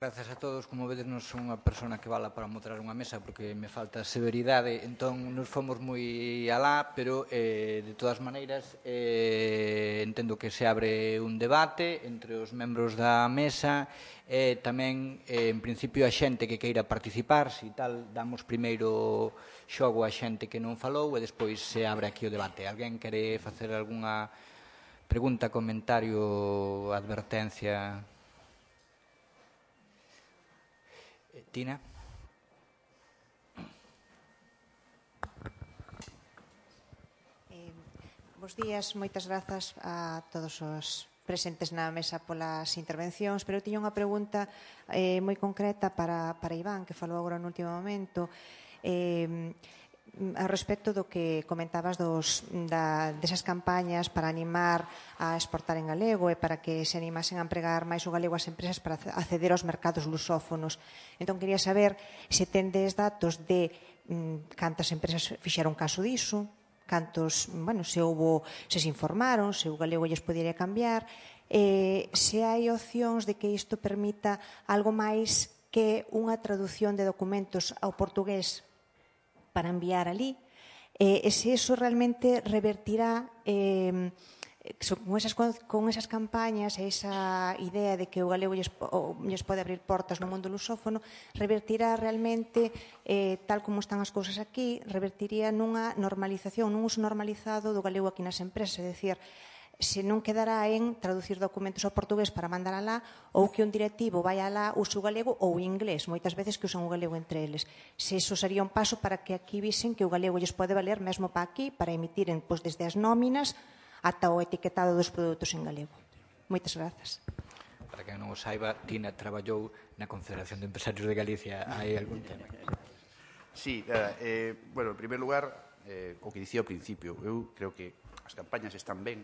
Grazas a todos, como vedes non son unha persona que vala para moderar unha mesa porque me falta severidade, entón nos fomos moi alá, pero de todas maneiras entendo que se abre un debate entre os membros da mesa e tamén en principio a xente que queira participar, se tal, damos primeiro xogo a xente que non falou e despois se abre aquí o debate. Alguén quere facer algunha pregunta, comentario, advertencia? Tina? Bos días, moitas grazas a todos os presentes na mesa polas intervencións, pero eu tiña unha pregunta moi concreta para Iván, que falou agora no último momento, ao respecto do que comentabas desas campañas para animar a exportar en galego e para que se animasen a empregar máis o galego as empresas para acceder aos mercados lusófonos. Entón, quería saber se tendes datos de cantas empresas fixeron caso diso, cantos, bueno, se se informaron, se o galego lles podería cambiar, se hai opcións de que isto permita algo máis que unha traducción de documentos ao portugués para enviar ali, e se iso realmente revertirá con esas campañas e esa idea de que o galego lles pode abrir portas no mundo lusófono, revertirá realmente, tal como están as cousas aquí, revertiría nunha normalización, nun uso normalizado do galego aquí nas empresas, é dicir, se non quedará en traducir documentos ao portugués para mandar alá, ou que un directivo vai alá, use o galego ou o inglés, moitas veces que usan o galego entre eles. Se iso sería un paso para que aquí visen que o galego lles pode valer mesmo para aquí, para emitiren desde as nóminas ata o etiquetado dos produtos en galego. Moitas grazas. Para quen non o saiba, Tina traballou na Confederación de Empresarios de Galicia. Hai algún tema? Sí, bueno, en primer lugar, o que dicía ao principio, eu creo que as campañas están ben,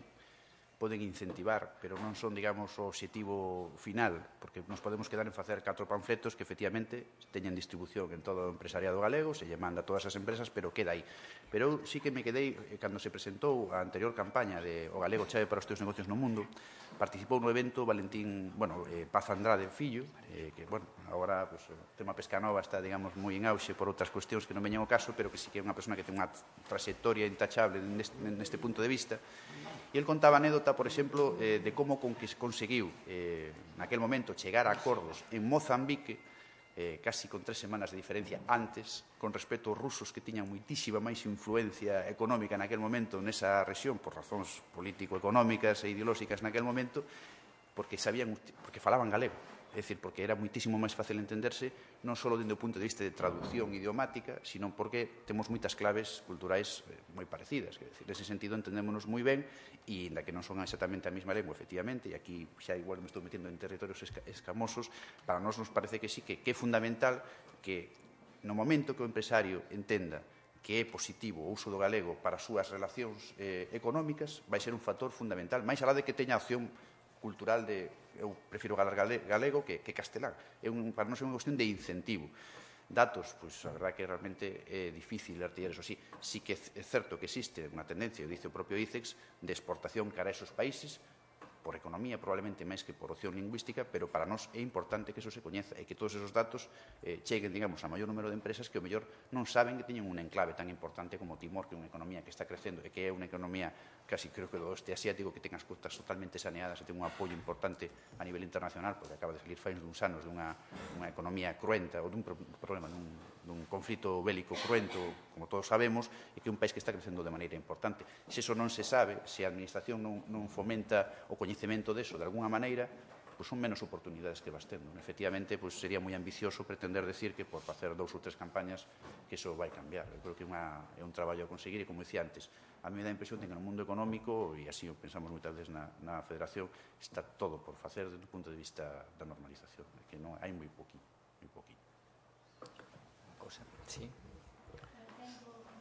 poden incentivar, pero non son, digamos, o objetivo final, porque nos podemos quedar en facer 4 panfletos que, efectivamente, teñen distribución en todo o empresariado galego, se lle manda a todas as empresas, pero queda aí. Pero eu sí que me quedei, cando se presentou a anterior campaña de O Galego chave para os teus negocios no mundo, participou no evento Paz Andrade Fillo, que, bueno, agora o tema Pescanova está, digamos, moi en auxe por outras cuestións que non veñen ao caso, pero que sí que é unha persona que ten unha trayectoria intachable neste punto de vista. E el contaba anécdota, por exemplo, de como conseguiu naquel momento chegar a acordos en Mozambique, casi con 3 semanas de diferencia antes, con respecto aos rusos que tiñan moitísima máis influencia económica naquel momento nesa rexión, por razóns político-económicas e ideolóxicas naquel momento, porque falaban galego. É dicir, porque era moitísimo máis fácil entenderse, non só dende o punto de vista de traducción idiomática, sino porque temos moitas claves culturais moi parecidas. É dicir, nese sentido entendémonos moi ben, e ainda que non son exactamente a mesma lengua, efectivamente, e aquí xa igual me estou metendo en territorios escamosos, para nós nos parece que sí, que é fundamental que no momento que o empresario entenda que é positivo o uso do galego para as súas relacións económicas, vai ser un factor fundamental, máis alá de que teña opción cultural de eu prefiro galar galego que castelán. Para nós é unha cuestión de incentivo. Datos, pois a verdade que realmente é difícil artillar eso así. Sí que é certo que existe unha tendencia, o dice o propio ICEX, de exportación cara a esos países, por economía probablemente máis que por opción lingüística, pero para nós é importante que eso se coñeza e que todos esos datos cheguen, digamos, a maior número de empresas que o mellor non saben que teñen un enclave tan importante como Timor, que é unha economía que está crecendo e que é unha economía casi creo que do oeste asiático, que ten as costas totalmente saneadas e ten un apoio importante a nivel internacional, porque acaba de salir fai uns anos dunha economía cruenta ou dun problema, dun conflito bélico cruento, como todos sabemos, e que é un país que está crecendo de maneira importante. Se eso non se sabe, se a administración non fomenta o coñecemento deso de alguna maneira, pois son menos oportunidades que vas tendo. Efectivamente, pois sería moi ambicioso pretender decir que por facer 2 ou 3 campañas que iso vai cambiar. Eu creo que é un traballo a conseguir e, como dicía antes, a mí me dá a impresión de que no mundo económico, e así o pensamos moitas veces na Federación, está todo por facer desde o punto de vista da normalización, que non hai moi poquinho. Sí. Tengo un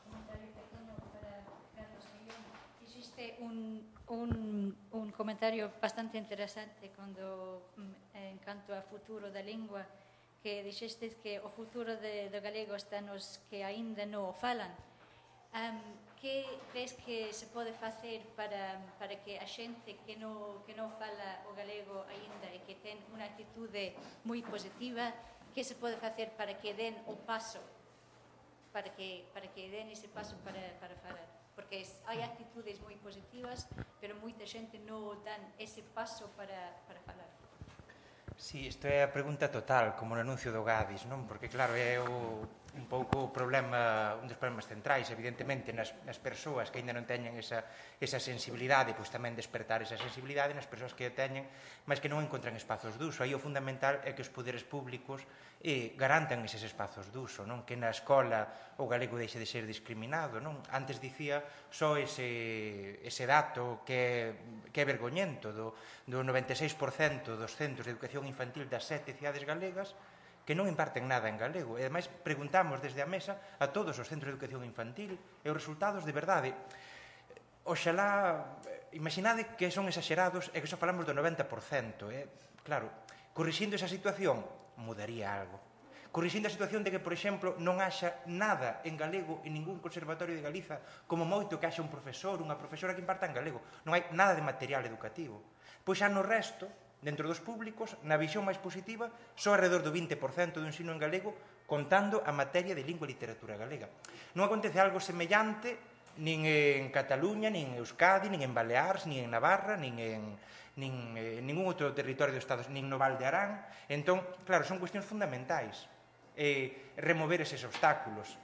comentario pequeño para Carlos Guillón. Existe un comentario bastante interesante en canto ao futuro da lingua, que dixestes que o futuro do galego está nos que aínda non o falan. que ves que se pode facer para que a xente que non fala o galego aínda e que ten unha actitude moi positiva, que se pode facer para que den o paso, para que den ese paso para falar? Porque hai actitudes moi positivas, pero moita xente non dan ese paso para falar. Si, isto é a pregunta total, como no anuncio do Gadis, non? Porque, claro, é un pouco o problema, un dos problemas centrais, evidentemente, nas persoas que ainda non teñen esa sensibilidade, pois tamén despertar esa sensibilidade nas persoas que a teñen, mas que non encontran espazos de uso. Aí o fundamental é que os poderes públicos garantan eses espazos de uso, non? Que na escola o galego deixe de ser discriminado, non? Antes dicía só ese dato que é vergoñento do 96% dos centros de educación infantil das 7 cidades galegas que non imparten nada en galego. E, ademais, preguntamos desde a mesa a todos os centros de educación infantil e os resultados de verdade. Oxalá, imaginade que son exagerados e que só falamos do 90%. Claro, corrixindo esa situación, mudaría algo. Corrixindo a situación de que, por exemplo, non haxa nada en galego en ningún conservatorio de Galiza, como moito que haxa un profesor, unha profesora que imparta en galego. Non hai nada de material educativo. Pois xa no resto, dentro dos públicos, na visión máis positiva, só alrededor do 20% do ensino en galego, contando a materia de lingua e literatura galega. Non acontece algo semellante nin en Cataluña, nin en Euskadi, nin en Baleares, nin en Navarra, nin en ningún outro territorio do Estado, nin no Val de Arán. Entón, claro, son cuestións fundamentais. Remover eses obstáculos.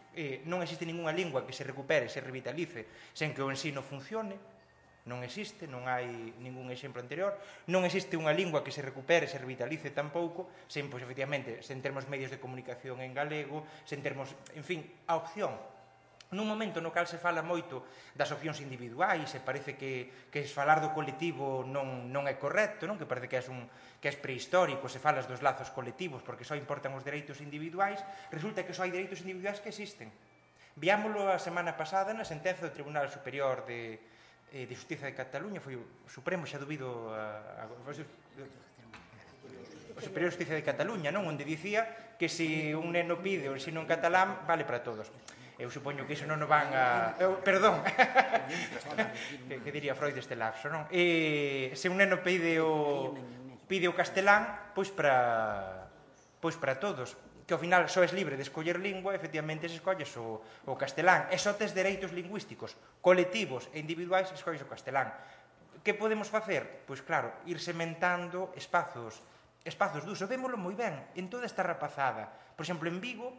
Non existe ninguna lingua que se recupere, se revitalice, sen que o ensino funcione. Non existe, non hai ningún exemplo anterior. Non existe unha lingua que se recupere, se revitalice tampouco, sen, pois, efectivamente, sen termos medios de comunicación en galego, sen termos, en fin, a opción. Nun momento no cal se fala moito das opcións individuais e parece que falar do colectivo non é correcto, non? Que parece que é prehistórico se falas dos lazos colectivos porque só importan os dereitos individuais, resulta que só hai dereitos individuais que existen. Viámoslo a semana pasada na sentenza do Tribunal Superior de Justiza de Cataluña, foi o Supremo, xa dubido o Superior de Justiza de Cataluña, non? Onde dicía que se un neno pide o ensino en catalán, vale para todos. Eu supoño que iso non o van a... Perdón, que diría Freud deste lapso, non? Se un neno pide o castelán, pois para todos. Que ao final só es libre de escoller lingua, efectivamente se escolles o castelán. E só tes dereitos lingüísticos colectivos e individuais, escolles o castelán. Que podemos facer? Pois claro, ir sementando espazos de uso. Vémolo moi ben en toda esta rapazada. Por exemplo, en Vigo,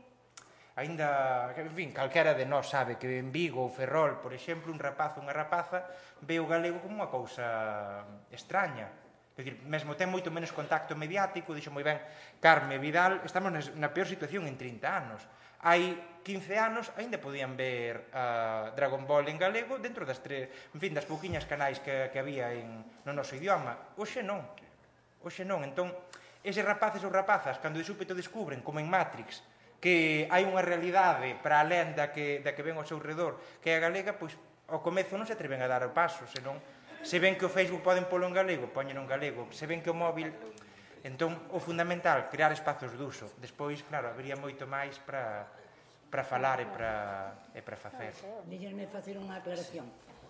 aínda, en fin, calquera de nós sabe que en Vigo ou Ferrol, por exemplo, un rapaz ou unha rapaza ve o galego como unha cousa extraña. É dicir, mesmo ten moito menos contacto mediático, dixo moi ben Carme Vidal, estamos na peor situación en 30 anos. Hai 15 anos aínda podían ver Dragon Ball en galego dentro das pouquiñas canais que había no noso idioma. Hoxe non. Entón, eses rapaces ou rapazas, cando de súpeto descubren, como en Matrix, que hai unha realidade para alén da que ven ao seu redor, que é a galega, pois ao comezo non se atreven a dar o paso, senón se ven que o Facebook poden polo en galego, poñen en galego, se ven que o móvil... Entón, o fundamental, crear espazos de uso. Despois, claro, habería moito máis para falar e para facer. Díxenme facer unha aclaración.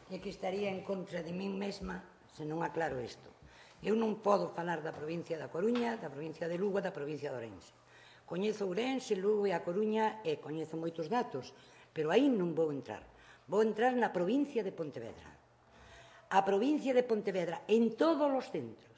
E que estaría en contra de min mesma se non aclaro isto. Eu non podo falar da provincia da Coruña, da provincia de Lugo e da provincia de Ourense. Coñezo Ourense, Lugo e a Coruña e coñezo moitos datos, pero aí non vou entrar. Vou entrar na provincia de Pontevedra. A provincia de Pontevedra, en todos os centros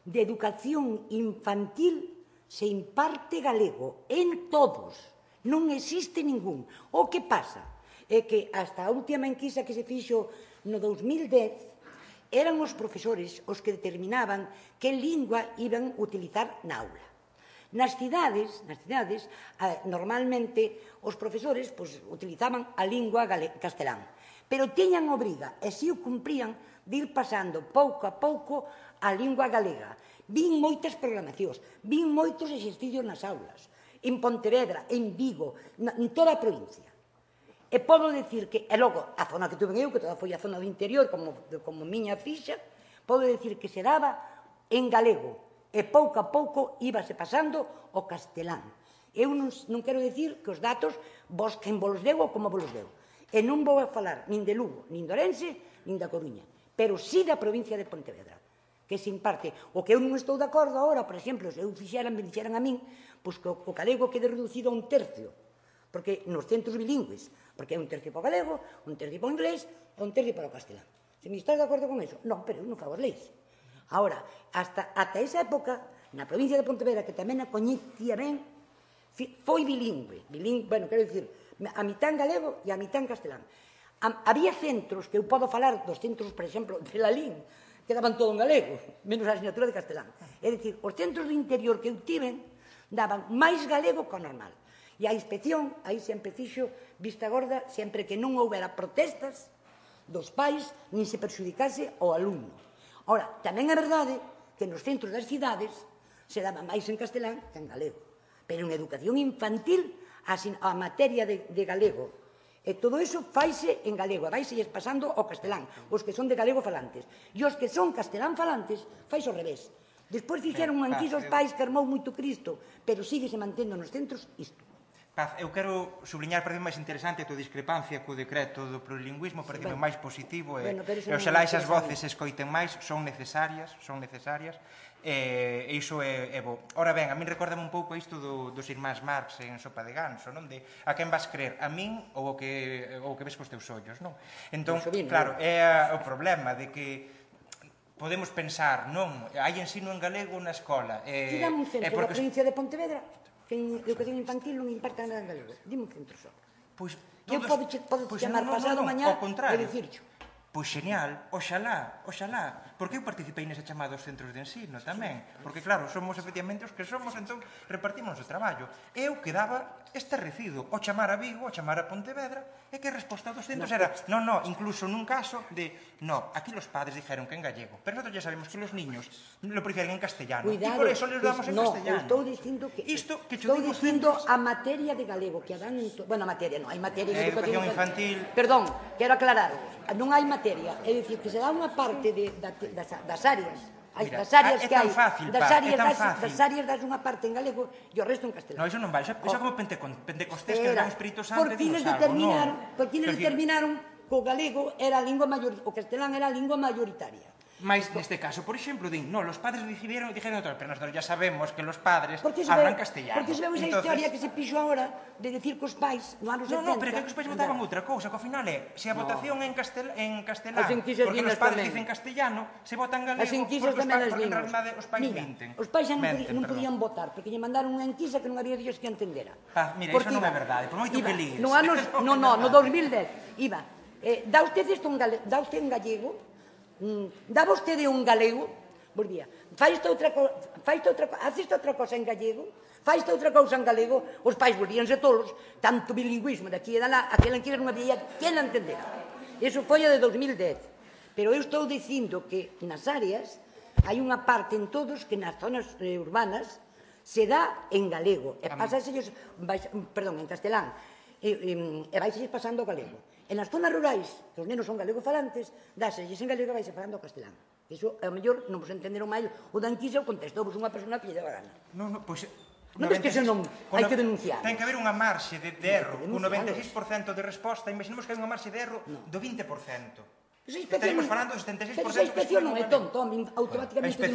de educación infantil, se imparte galego, en todos. Non existe ningún. O que pasa é que hasta a última enquisa que se fixo no 2010 eran os profesores os que determinaban que lingua iban a utilizar na aula. Nas cidades, normalmente, os profesores utilizaban a lingua castelán, pero tiñan obriga, e se o cumprían, de ir pasando pouco a pouco a lingua galega. Vin moitas programacións, vin moitos exercicios nas aulas, en Pontevedra, en Vigo, en toda a provincia. E podo dicir que, e logo, a zona que tuve eu, que toda foi a zona do interior, como miña fixa, podo dicir que se daba en galego, e pouco a pouco íbase pasando o castelán. Eu non quero dicir que os datos quen vos deu ou como vos deu. E non vou a falar nin de Lugo, nin de Ourense, nin da Coruña, pero sí da provincia de Pontevedra, que se imparte. O que eu non estou de acordo agora, por exemplo, se eu me dixeran a min, pois que o galego quede reducido a 1/3, porque nos centros bilingües, porque é 1/3 para o galego, 1/3 para o inglés e 1/3 para o castelán. Se me estás de acordo con eso? Non, pero eu non fago as leis. Ahora, ata esa época, na provincia de Pontevedra, que tamén a coñecía ben, foi bilingüe. Bueno, quero dicir, a mitad en galego e a mitad en castelán. Había centros, que eu podo falar dos centros, por exemplo, de Lalín, que daban todo en galego, menos a asignatura de castelán. É dicir, os centros do interior que eu tiven daban máis galego que o normal. E a inspección, aí sempre fixo vista gorda, sempre que non houbera protestas dos pais, nin se perxudicase o alumno. Ora, tamén é verdade que nos centros das cidades se daba máis en castelán que en galego. Pero en educación infantil, a materia de galego, e todo iso faise en galego, e vaiselles pasando ao castelán, os que son de galego falantes. E os que son castelán falantes, faise ao revés. Despois fixeron un anquiso aos pais que armou moito Cristo, pero síguese mantendo nos centros isto. Paz, eu quero subliñar, parece máis interesante a tua discrepancia co decreto do plurilingüismo, parece máis positivo, e oxalá esas voces se escoiten máis, son necesarias, e iso é bo. Ora ben, a min recórdame un pouco isto dos irmáns Marx en Sopa de Ganso, non? De a quen vas crer, a min ou o que ves cos teus ollos, non? Entón, claro, é o problema de que podemos pensar, non, hai ensino en galego na escola. Tiramos un centro da provincia de Pontevedra que en educación infantil non imparta nada en galego. Dime un centro só. Eu podo chamar pasado mañá e dicircho. Pois genial, oxalá, porque eu participei nese chamado aos centros de ensino tamén, porque claro, somos efectivamente os que somos, entón repartimos o traballo. Eu quedaba estarrecido ao chamar a Vigo, ao chamar a Pontevedra, e que a resposta dos centros era, non, incluso nun caso de, aquí los padres dijeron que en gallego, pero nosotros ya sabemos que los niños lo prefieren en castellano, e por eso les damos en castellano. Estou dicindo que a materia de galego, que a dan, bueno, a materia non, hai materia en educación infantil. Perdón, quero aclarar, non hai materia, é dicir, que se dá unha parte das áreas, das áreas que hai, das áreas das unha parte en galego e o resto en castelán. Non, iso non vai, iso como Pentecostés que dan o Espírito Santo e dinos algo, non? Por quines determinaron que o galego era a lingua mayoritaria, o castelán era a lingua mayoritaria. Mais neste caso, por exemplo, los padres dijeron outro, pero nosotros ya sabemos que los padres hablan castellano. Porque se veu esa historia que se pixo agora de decir que os pais no anos 70... Non, pero que os pais votaban outra cousa, que ao final é, se a votación en castelán, porque os padres dicen castellano, se votan galego, porque en realidade os pais minten. Os pais xa non podían votar, porque lle mandaron unha enquisa que non había Dios que entendera. Mira, iso non é verdade, por moito que líes. No 2010, iba, dá usted un gallego, dá vostede un galego, volvía, haces outra cosa en gallego, faz outra cousa en galego, os pais volvíanse tolos, tanto bilingüismo de aquí e de lá, aquela en que non había quen a entendera. Iso foi a de 2010. Pero eu estou dicindo que nas áreas hai unha parte en todos que nas zonas urbanas se dá en galego, e pasasellos, perdón, en castelán, e vaiselles pasando o galego. En as zonas rurais, que os nenos son galego-falantes, dáselles en galego e vaise falando o castelán. Iso, ao mellor, non vos entenderon máis o da enquisa ou contestou vos unha persona que lle daba gana. Non, pois... Non ves que iso non hai que denunciar. Ten que haber unha marxe de erro, con 96% de resposta, imaginemos que hai unha marxe de erro do 20%. Estaríamos falando do 76%. Pero a inspección non é tonto, automáticamente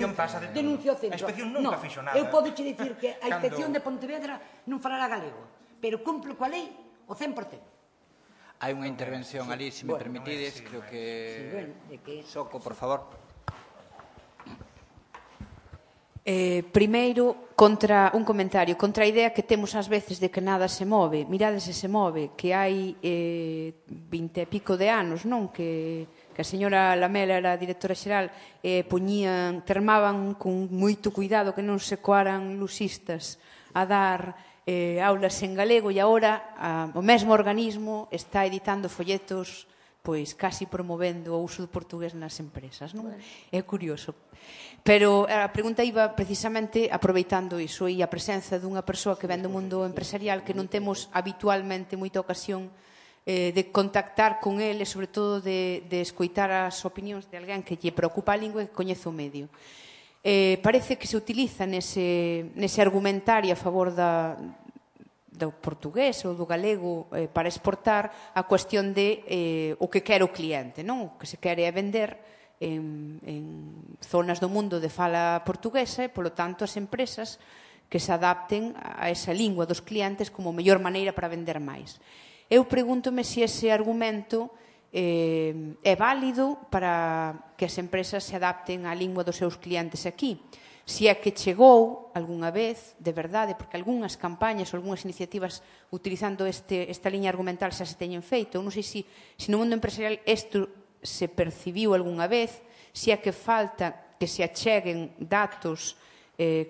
denuncia o centro. A inspección nunca fixo nada. Eu podo che dicir que a inspección de Pontevedra non falará galego, pero cumplo coa lei o 100%. Hai unha intervención ali, se me permitides, creo que... Soco, por favor. Primeiro, contra un comentario, contra a idea que temos ás veces de que nada se move. Mirades se se move, que hai 20 e pico de anos, non? Que a señora Lamela era a directora xeral, termaban con moito cuidado que non se coaran lusistas a dar aulas en galego, e agora o mesmo organismo está editando folletos pois casi promovendo o uso do portugués nas empresas, non? É curioso. Pero a pregunta iba precisamente aproveitando iso e a presenza dunha persoa que ven do mundo empresarial que non temos habitualmente moita ocasión de contactar con ele, sobre todo de escoitar as opinións de alguén que lle preocupa a lingua e que coñece o medio. Parece que se utiliza nese argumentario a favor do portugués ou do galego para exportar a cuestión de o que quere o cliente, non? O que se quere é vender en zonas do mundo de fala portuguesa e, polo tanto, as empresas que se adapten a esa lingua dos clientes como a mellor maneira para vender máis. Eu pregúntome se ese argumento é válido para que as empresas se adapten á lingua dos seus clientes aquí. Se é que chegou algunha vez, de verdade, porque algunhas campañas ou algunhas iniciativas utilizando esta liña argumental xa se teñen feito. Eu non sei se no mundo empresarial isto se percibiu algunha vez, se é que falta que se acheguen datos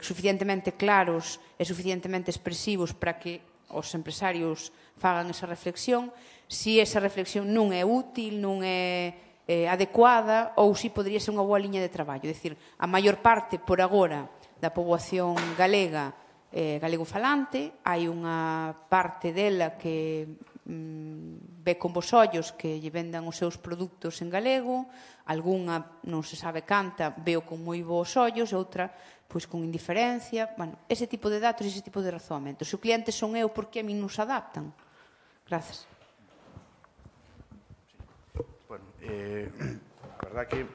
suficientemente claros e suficientemente expresivos para que os empresarios fagan esa reflexión, se esa reflexión non é útil, non é adecuada ou se podría ser unha boa liña de traballo. É dicir, a maior parte, por agora, da poboación galega galego falante, hai unha parte dela que ve con bos ollos que lle vendan os seus produtos en galego, algunha, non se sabe canta, veo con moi bons ollos, outra, pois con indiferencia. Bueno, ese tipo de datos, ese tipo de razoamentos. Se o cliente son eu, por que a min non se adaptan? Grazas. Bueno, a verdad que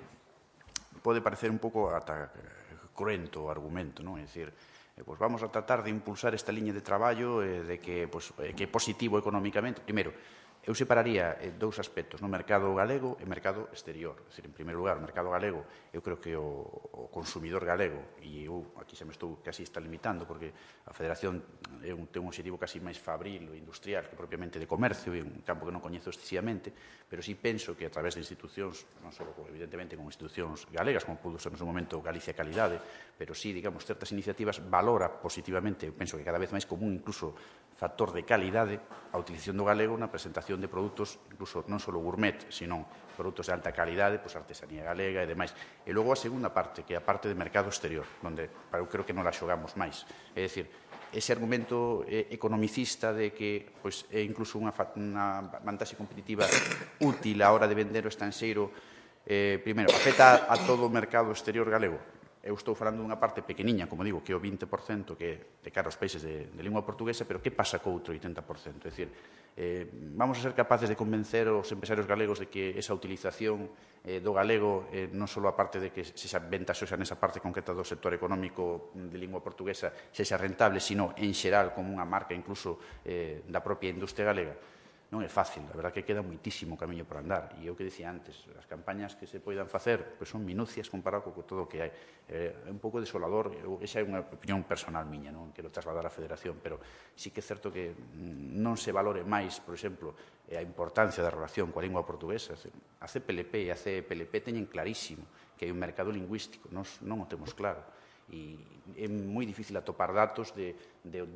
pode parecer un pouco ata cruento o argumento, non? É dicir, pues vamos a tratar de impulsar esta liña de traballo de que é positivo económicamente. Primeiro, eu separaría dous aspectos, no mercado galego e mercado exterior. É dicir, en primeiro lugar, o mercado galego, eu creo que o consumidor galego, e eu aquí xa me estou casi está limitando, porque a Federación ten un objetivo casi máis fabril ou industrial que propiamente de comercio, e un campo que non coñezo excesivamente, pero sí penso que a través de institucións, non só evidentemente como institucións galegas, como pudo ser no seu momento Galicia Calidade, pero sí, digamos, certas iniciativas valora positivamente, eu penso que cada vez máis como un incluso factor de calidade a utilización do galego na presentación de produtos, incluso non só gourmet, sino produtos de alta calidade, pois artesanía galega e demais. E logo a segunda parte, que é a parte de mercado exterior, onde eu creo que non la xogamos máis. É dicir, ese argumento economicista de que pois, é incluso unha vantaxe competitiva útil a hora de vender o estranxeiro, primeiro, afecta a todo o mercado exterior galego. Eu estou falando dunha parte pequeniña, como digo, que é o 20% que é de cara aos países de lingua portuguesa, pero que pasa co outro 80%? É dicir, vamos a ser capaces de convencer os empresarios galegos de que esa utilización do galego non só a parte de que sexa ventaxosa nesa parte concreta do sector económico de lingua portuguesa sexa rentable, sino en xeral como unha marca incluso da propia industria galega. Non é fácil, a verdad que queda moitísimo camiño por andar. E eu que dicía antes, as campañas que se poidan facer pois son minucias comparado con todo o que hai. É un pouco desolador, esa é unha opinión personal miña, non quero trasladar á Federación, pero sí que é certo que non se valore máis, por exemplo, a importancia da relación coa lingua portuguesa. A CPLP e a CPLP teñen clarísimo que hai un mercado lingüístico, non o temos claro. E é moi difícil atopar datos de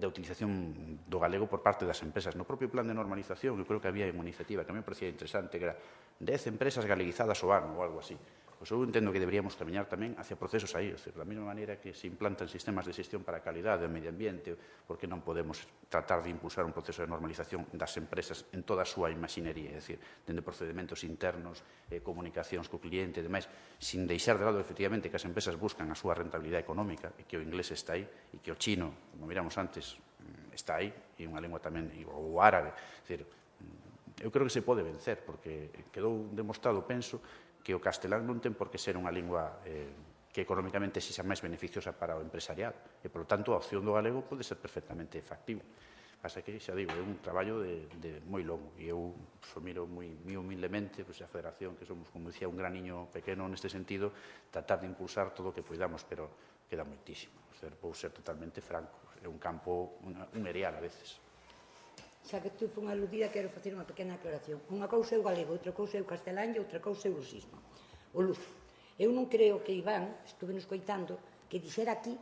utilización do galego por parte das empresas. No propio plan de normalización, eu creo que había unha iniciativa que a mí me parecía interesante, que era 10 empresas galeguizadas ao ano ou algo así. Pois eu entendo que deberíamos camiñar tamén hacia procesos aí, da mesma maneira que se implantan sistemas de xestión para a calidade do medio ambiente, porque non podemos tratar de impulsar un proceso de normalización das empresas en toda a súa imaxinería, é dicir, dende procedimentos internos, comunicacións co cliente e demais, sin deixar de lado, efectivamente, que as empresas buscan a súa rentabilidade económica e que o inglés está aí e que o chino, como miramos antes, está aí, e unha lengua tamén, ou árabe. É dicir, eu creo que se pode vencer, porque quedou demostrado, penso, que o castelán non ten por que ser unha lingua que económicamente sexa máis beneficiosa para o empresariado. E, polo tanto, a opción do galego pode ser perfectamente factible. Pasa que, xa digo, é un traballo de moi longo. E eu miro moi humildemente a Federación, que somos, como dicía, un graniño pequeno neste sentido, tratar de impulsar todo o que poidamos, pero queda moitísimo. Vou ser totalmente franco. É un campo, un erial a veces. Xa que tu fun aludida, quero facer unha pequena aclaración. Unha cousa é o galego, outra cousa é o castelán e outra cousa é o lusismo. O luso. Eu non creo que Iván, estuve nos coitando, que dixera aquí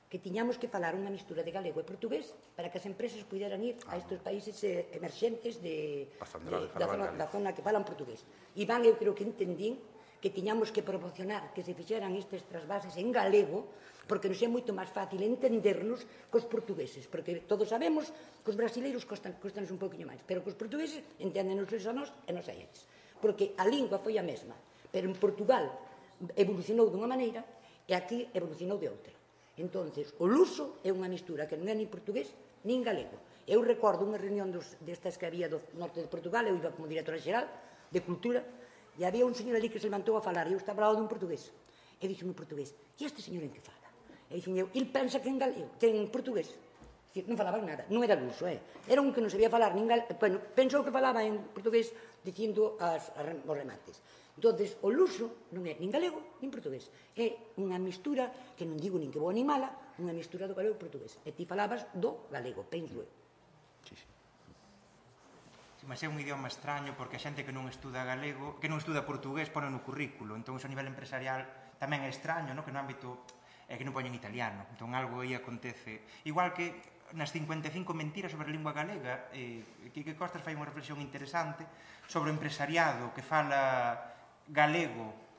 que tiñamos que falar unha mistura de galego e portugués para que as empresas puderan ir a estes países emerxentes da zona que falan portugués. Iván, eu creo que entendín que tiñamos que promocionar que se fixeran estes trasvases en galego porque nos é moito máis fácil entendernos cos portugueses, porque todos sabemos que os brasileiros costanos un pouquinho máis, pero que os portugueses enténdenos a nós e nos a eles, porque a lingua foi a mesma, pero en Portugal evolucionou dunha maneira e aquí evolucionou de outra. Entonces, o luso é unha mistura que non é nin portugués nin galego. Eu recordo unha reunión destas que había do norte de Portugal, eu iba como directora xeral de Cultura, e había un señor ali que se levantou a falar, e eu estaba ao lado dun portugués. E dixo-me en portugués, e este señor en que fala? E dixen eu, il pensa que en galego, que en portugués. Non falaban nada, non era luso, era un que non sabía falar nin galego, bueno, pensou que falaba en portugués dicindo os remates. Entonces, o luso non é nin galego nin portugués, é unha mistura, que non digo nin que boa nin mala, unha mistura do galego e portugués. E ti falabas do galego, penso eu. Mas é un idioma extraño porque a xente que non estuda galego, que non estuda portugués, pone no currículo. Entón, iso a nivel empresarial tamén é extraño, que no ámbito que non poñen italiano. Entón, algo aí acontece. Igual que nas 55 mentiras sobre a lingua galega, Quique Costas fai unha reflexión interesante sobre o empresariado que fala galego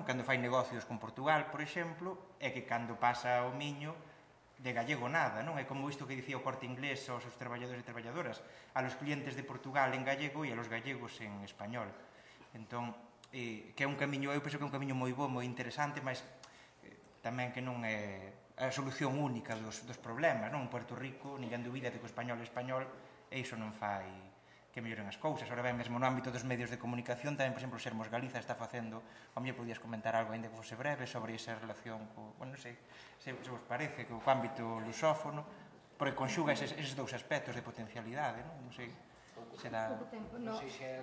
cando fai negocios con Portugal, por exemplo, e que cando pasa o miño de gallego nada, non? É como isto que dicía o Corte Inglés aos seus traballadores e traballadoras, a los clientes de Portugal en gallego e a los gallegos en español. Entón, que é un camiño, eu penso que é un camiño moi bo, moi interesante, mas tamén que non é a solución única dos problemas, non? En Puerto Rico, ninguén dubida de que o español é español, e iso non fai que melloren as cousas. Ahora ben, mesmo no ámbito dos medios de comunicación, tamén, por exemplo, Sermos Galiza está facendo, a mí podías comentar algo, ainda que fose breve, sobre esa relación non sei, se vos parece, co ámbito lusófono, porque conxuga eses dous aspectos de potencialidade, non sei, será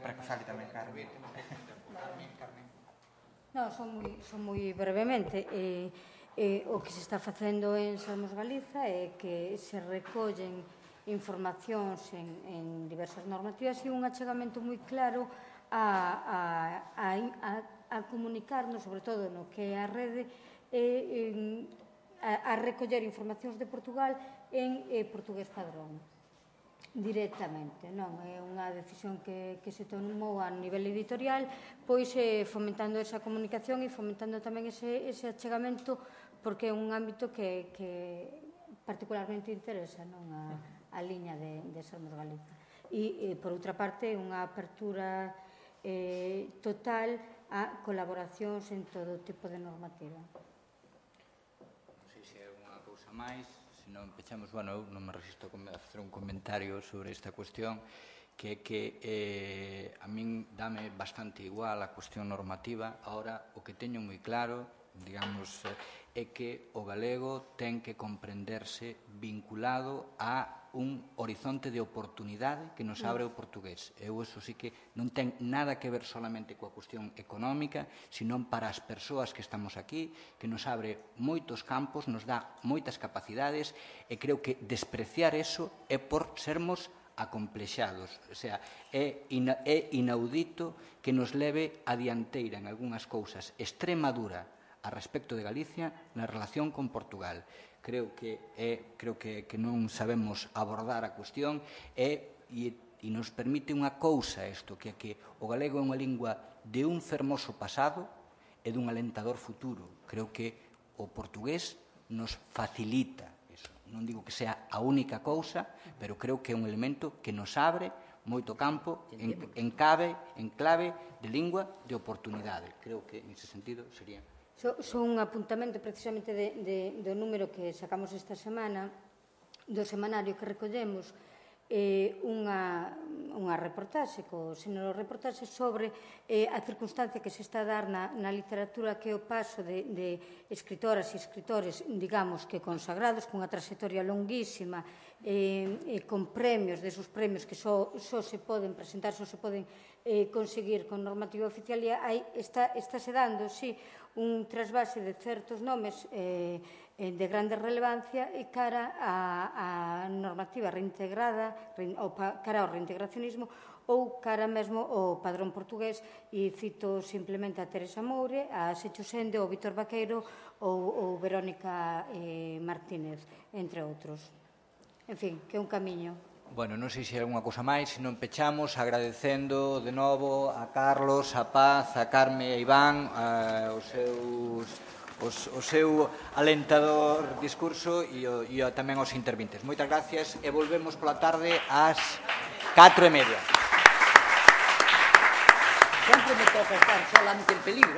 para que fale tamén Carmen. Non, son moi brevemente. O que se está facendo en Sermos Galiza é que se recollen informacións en diversas normativas e un achegamento moi claro a comunicarnos, sobre todo no que é a rede, a recoller informacións de Portugal en portugués padrón, directamente. Non é unha decisión que se tomou a nivel editorial, pois fomentando esa comunicación e fomentando tamén ese achegamento, porque é un ámbito que particularmente interesa, non a liña de Sermos Galiza. E, por outra parte, unha apertura total a colaboracións en todo tipo de normativa. Non sei se é unha cousa máis, se non pechamos, eu non me resisto a facer un comentario sobre esta cuestión, que a min dame bastante igual a cuestión normativa. Ahora, o que teño moi claro, digamos, é que o galego ten que comprenderse vinculado a un horizonte de oportunidade que nos abre o portugués. Eu, eso sí que non ten nada que ver solamente coa cuestión económica, senón para as persoas que estamos aquí, que nos abre moitos campos, nos dá moitas capacidades, e creo que despreciar eso é por sermos acomplexados. O sea, é inaudito que nos leve a dianteira en algunhas cousas Extremadura a respecto de Galicia na relación con Portugal. Creo que non sabemos abordar a cuestión e nos permite unha cousa isto, que é que o galego é unha lingua de un fermoso pasado e dun alentador futuro. Creo que o portugués nos facilita iso. Non digo que sea a única cousa, pero creo que é un elemento que nos abre moito campo en clave de lingua de oportunidade. Creo que, nese sentido, sería... Son un apuntamento precisamente do número que sacamos esta semana, do semanario que recollemos, unha reportaxe, co xénero reportaxe sobre a circunstancia que se está a dar na literatura, que é o paso de escritoras e escritores, digamos, que consagrados, cunha trayectoria longuísima, con premios, desos premios que só se poden presentar, só se poden conseguir con normativa oficial, e está se dando, sí, un trasvase de certos nomes de grande relevancia e cara á normativa reintegrada, ou cara ao reintegracionismo, ou cara mesmo ao padrón portugués, e cito simplemente a Teresa Moure, a Sechus Sende, o Víctor Vaqueiro ou Verónica Martínez, entre outros. En fin, que é un camiño. Bueno, non sei se hai alguna cousa máis, se non pechamos agradecendo de novo a Carlos, a Paz, a Carme e a Iván o seu alentador discurso e tamén aos intervintes. Moitas gracias e volvemos pola tarde ás 4:30. Sempre me toca estar solamente en peligro,